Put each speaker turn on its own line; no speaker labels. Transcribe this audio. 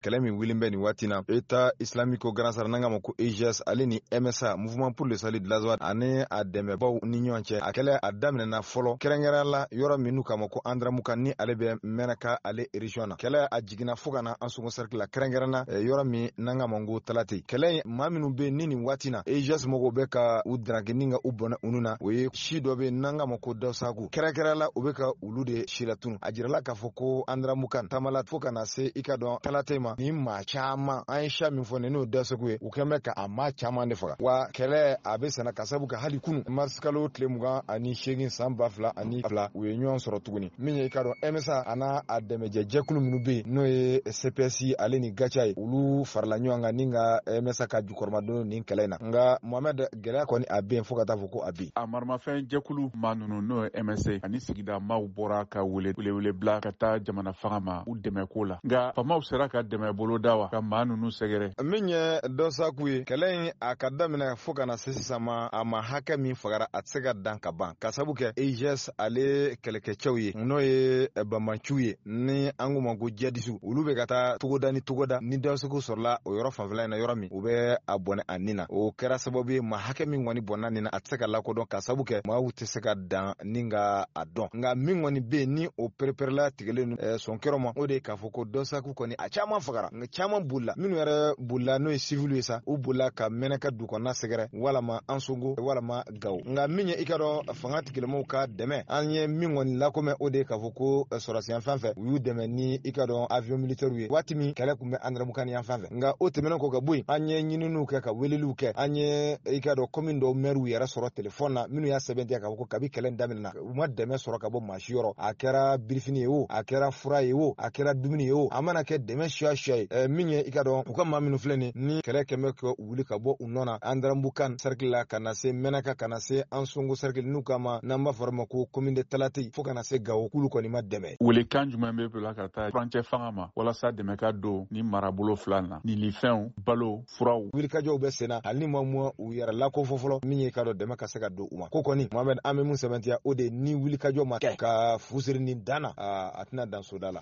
Kɛlɛ min wulilen bɛ nin waati na, État islamique au Grand Sahara, n'an k'a ma ko EIGS, ale ni MSA, Mouvement pour le salut de l'Azawad, ani a dɛmɛbaw ni ɲɔgɔn cɛ. A kɛlɛ a daminɛna fɔlɔ, kɛrɛnkɛrɛn la yɔrɔ min n'u k'a ma ko Anderamukan, ni ale bɛ Mɛnaka ale région na. Kɛlɛ a jiginna fo ka na Ansongo cercle la, kɛrɛnkɛrɛn na yɔrɔ min n'an k'a ma ko Talate. Kɛlɛ in, maa minnu bɛ ni nin waati na EIGS mɔgɔw bɛ ka u daraki ni ka u bɔnɛ unu na, o ye si dɔ bɛ n'an k'a ma ko Dawusaku. Kɛrɛnkɛrɛn la, u bɛ ka olu de silatunu. A jirala k'a fɔ ko Anderamukan tamala fo ka na se i ka dɔn Talate ma, ni maa caman an ye siya min fɔ nin n'o Dawusaku ye, u kɛn bɛ ka a maa caman de faga. Wa kɛlɛ a bɛ senna ka sabu kɛ hali kunu, marisikalo tile 28 san 2002, u ye ɲɔgɔn sɔrɔ tuguni. Min ye i ka dɔn MSA a n'a a dɛmɛjɛ jɛkulu minnu bɛ yen, n'o ye CPS ale ni GATIA ye, olu farala ɲɔgɔn kan ni ka MSA ka jukɔrɔmadon nin kɛlɛ in na. Nka Mohamɛd, gɛlɛya kɔni a bɛ yen fo ka taa fɔ ko a bɛ yen.
A maramafɛn jɛkulu maa ninnu, n'o ye MSA ani sigida maaw, bɔra ka wele welewele bila ka taa jamana fanga ma u dɛmɛ ko la, nka faamaw sera ka dɛmɛ boloda wa ka maa ninnu sɛgɛrɛ?
Min ye Dawusaku ye, kɛlɛ in a ka daminɛ fo ka na se sisan ma, a ma hakɛ min fagara, a tɛ se ka dan ka ban, ka sabu kɛ EIGS ale kɛlɛkɛcɛw ye, n'o ye banbanciw ye ni an k'u ma ko jihadisiw. Olu bɛ ka taa togoda ni togoda ni Dawusaku sɔrɔla o yɔrɔ fanfɛla in na, yɔrɔ min u bɛ a bɔnɛ a ni na. O kɛra sababu ye maa hakɛ min kɔni bɔnna nin na, a tɛ se ka lakodɔn, ka sabu kɛ maaw tɛ se ka dan ni ka a dɔn. Nka min kɔni bɛ yen ni o pereperela tigɛlen sɔnkɛrɔ ma, o de ye k'a fɔ ko Dawusaku kɔni a caman fagara, nka caman bolila. Minnu yɛrɛ bolila, n'o ye siviliw ye sa, u bolila ka Mɛnɛka du kɔnɔna sɛgɛrɛ, walama Ansongo, walama Gawo. Nka min ye i ka dɔn fanga tigilamɔgɔw ka dɛmɛ, an ye min kɔni lakomɛ, o de ye k'a fɔ ko sɔrɔdasi yan fan fɛ, u y'u dɛmɛ ni i ka dɔn avion militaire ye waati min kɛlɛ tun bɛ Anderamukan yan fan fɛ. Nka o tɛmɛnen kɔ ka bɔ yen, an ye ɲininiw kɛ ka weleliw kɛ, an ye i ka dɔn commune dɔw mɛriw yɛrɛ sɔrɔ telefɔni na, minnu y'a sɛbɛntiya k'a fɔ ko kabi kɛlɛ daminɛna, u ma dɛmɛ sɔrɔ ka bɔ maa si yɔrɔ. A kɛra birifini ye o, a kɛra fura ye o, a kɛra dumuni ye o, a mana kɛ dɛmɛ siya siya ye. Min ye i ka dɔn u ka maa minnu filɛ nin ni kɛlɛ kɛn bɛ ka wuli ka bɔ u nɔ na Anderamukan cercle la, ka na se Mɛnaka, ka na se Ansongo cercle, n'u kama n'an b'a fɔ ma ko commune de Talate, fo ka na se Gawo, k'olu kɔni ma dɛmɛ.
Welekan jumɛn bɛ bila ka taa furancɛ fanga ma walasa dɛmɛ ka don ni marabolo fila na, nilifɛnw, balo, furaw?
Wulikajɔw bɛ senna, hali ni ma mɔ u yɛrɛ lakofɔ fɔlɔ. Min ye ka dɔn dɛmɛ ka se ka don u ma ko kɔni, Mohamɛd, an bɛ mun sɛbɛntiya, o de ni wulikajɔ ma kɛ ka fu siri nin dan na, a tɛna dan soda la.